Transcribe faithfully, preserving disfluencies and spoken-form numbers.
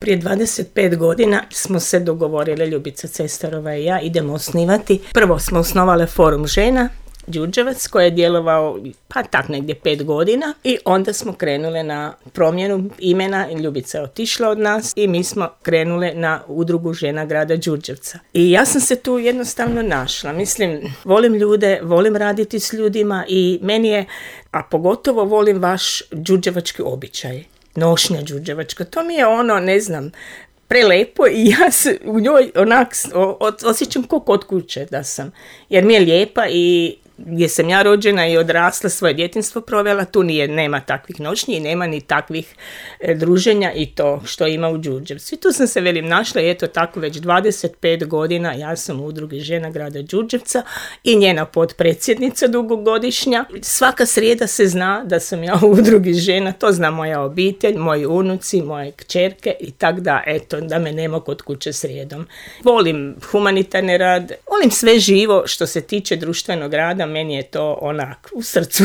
Prije dvadeset pet godina smo se dogovorili, Ljubica Cestarova i ja, idemo osnivati. Prvo smo osnovale Forum žena Đurđevac koji je djelovao pa tak negdje pet godina i onda smo krenule na promjenu imena. Ljubica je otišla od nas i mi smo krenule na udrugu žena grada Đurđevca. I ja sam se tu jednostavno našla. Mislim, volim ljude, volim raditi s ljudima i meni je, a pogotovo volim vaš đurđevački običaj. Nošnja đurđevačka, to mi je ono, ne znam, prelepo i ja se u njoj onak osjećam ko kod kuće da sam, jer mi je lijepa i gdje sam ja rođena i odrasla, svoje djetinjstvo provela, tu nije, nema takvih noćnji i nema ni takvih e, druženja i to što ima u Đurđevcu. I tu sam se, velim, našla i eto tako već dvadeset pet godina ja sam u udrugi žena grada Đurđevca i njena potpredsjednica dugogodišnja. Svaka srijeda se zna da sam ja u udrugi žena, to zna moja obitelj, moji unuci, moje kćerke i tak da, eto, da me nema kod kuće srijedom. Volim humanitarni rad, volim sve živo što se tiče društvenog rada, meni je to onak u srcu